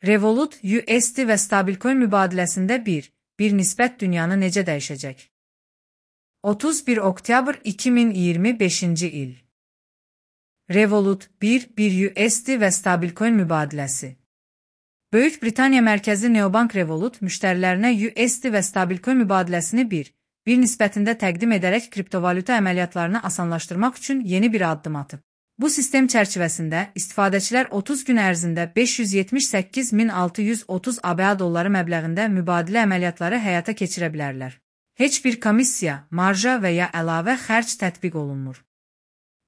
Revolut, USD və stabilcoin mübadiləsində bir nisbət dünyanı necə dəyişəcək? 31 oktyabr 2025-ci il. Revolut, bir USD və stabilcoin mübadiləsi. Böyük Britaniya mərkəzi Neobank Revolut müştərilərinə USD və stabilcoin mübadiləsini bir nisbətində təqdim edərək kriptovalyuta əməliyyatlarını asanlaşdırmaq üçün yeni bir addım atıb. Bu sistem çərçivəsində istifadəçilər 30 gün ərzində 578.630 ABA dolları məbləğində mübadilə əməliyyatları həyata keçirə bilərlər. Heç bir komissiya, marja və ya əlavə xərc tətbiq olunmur.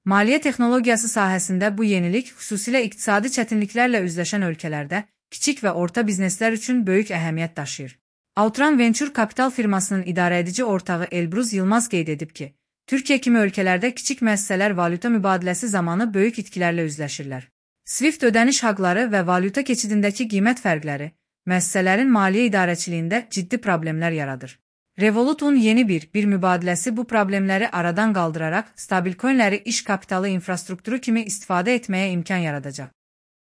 Maliyyə texnologiyası sahəsində bu yenilik xüsusilə iqtisadi çətinliklərlə üzləşən ölkələrdə kiçik və orta bizneslər üçün böyük əhəmiyyət daşıyır. Outran Venture Capital firmasının idarəedici ortağı Elbruz Yılmaz qeyd edib ki, Türkiyə kimi ölkələrdə kiçik müəssisələr valyuta mübadiləsi zamanı böyük itkilərlə üzləşirlər. Swift ödəniş haqları və valyuta keçidindəki qiymət fərqləri müəssisələrin maliyyə idarəçiliyində ciddi problemlər yaradır. Revolut'un yeni bir mübadiləsi bu problemləri aradan qaldıraraq stabilcoinləri iş kapitalı infrastrukturu kimi istifadə etməyə imkan yaradacaq.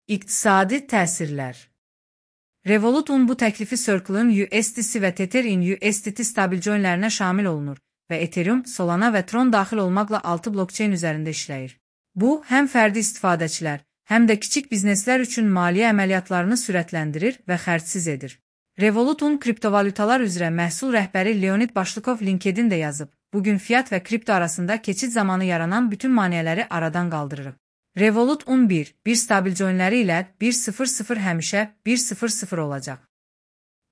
İqtisadi təsirlər. Revolut'un bu təklifi Circle'ın USDC və Tether'in USDT stabilcoinlərinə şamil olunur və Ethereum, Solana və Tron daxil olmaqla 6 blockchain üzərində işləyir. Bu, həm fərdi istifadəçilər, həm də kiçik bizneslər üçün maliyyə əməliyyatlarını sürətləndirir və xərcsiz edir. Revolut'un kriptovalyutalar üzrə məhsul rəhbəri Leonid Başlıkov LinkedIn-də yazıb, bugün fiat və kripto arasında keçid zamanı yaranan bütün maneələri aradan qaldırırıq. Revolut'un bir stabilcoinləri ilə 1.00 həmişə 1.00 olacaq.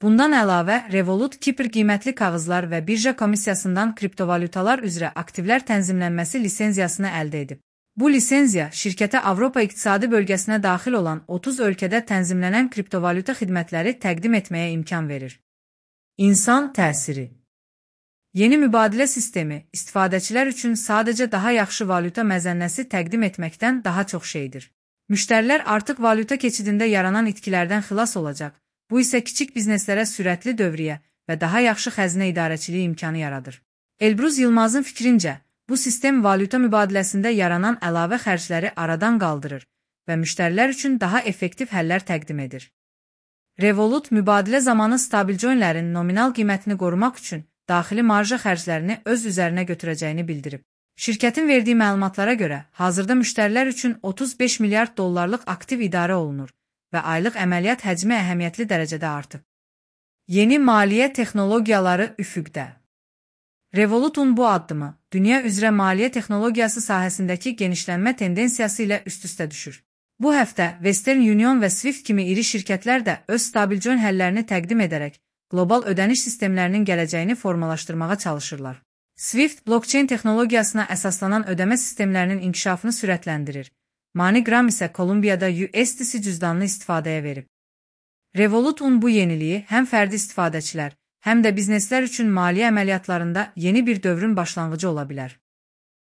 Bundan əlavə, Revolut Kipr qiymətli kağızlar və birja komissiyasından kriptovalyutalar üzrə aktivlər tənzimlənməsi lisenziyasını əldə edib. Bu lisenziya şirkətə Avropa İqtisadi Bölgəsinə daxil olan 30 ölkədə tənzimlənən kriptovalyuta xidmətləri təqdim etməyə imkan verir. İnsan təsiri. Yeni mübadilə sistemi istifadəçilər üçün sadəcə daha yaxşı valyuta məzənnəsi təqdim etməkdən daha çox şeydir. Müştərilər artıq valyuta keçidində yaranan itkilərdən xilas olacaq. Bu isə kiçik bizneslərə sürətli dövriyyə və daha yaxşı xəzinə idarəçiliyi imkanı yaradır. Elbruz Yılmazın fikrincə, bu sistem valyuta mübadiləsində yaranan əlavə xərcləri aradan qaldırır və müştərilər üçün daha effektiv həllər təqdim edir. Revolut mübadilə zamanı stabilcoinlərin nominal qiymətini qorumaq üçün daxili marja xərclərini öz üzərinə götürəcəyini bildirib. Şirkətin verdiyi məlumatlara görə, hazırda müştərilər üçün 35 milyard dollarlıq aktiv idarə olunur və aylıq əməliyyat həcmi əhəmiyyətli dərəcədə artıb. Yeni maliyyə texnologiyaları üfüqdə. Revolut'un bu addımı, dünya üzrə maliyyə texnologiyası sahəsindəki genişlənmə tendensiyası ilə üst-üstə düşür. Bu həftə Western Union və Swift kimi iri şirkətlər də öz stabilcoin həllərini təqdim edərək, qlobal ödəniş sistemlərinin gələcəyini formalaşdırmağa çalışırlar. Swift, blockchain texnologiyasına əsaslanan ödəmə sistemlərinin inkişafını sürətləndirir. MoneyGram isə Kolumbiyada USDC cüzdanını istifadəyə verib. Revolut'un bu yeniliyi həm fərdi istifadəçilər, həm də bizneslər üçün maliyyə əməliyyatlarında yeni bir dövrün başlanğıcı ola bilər.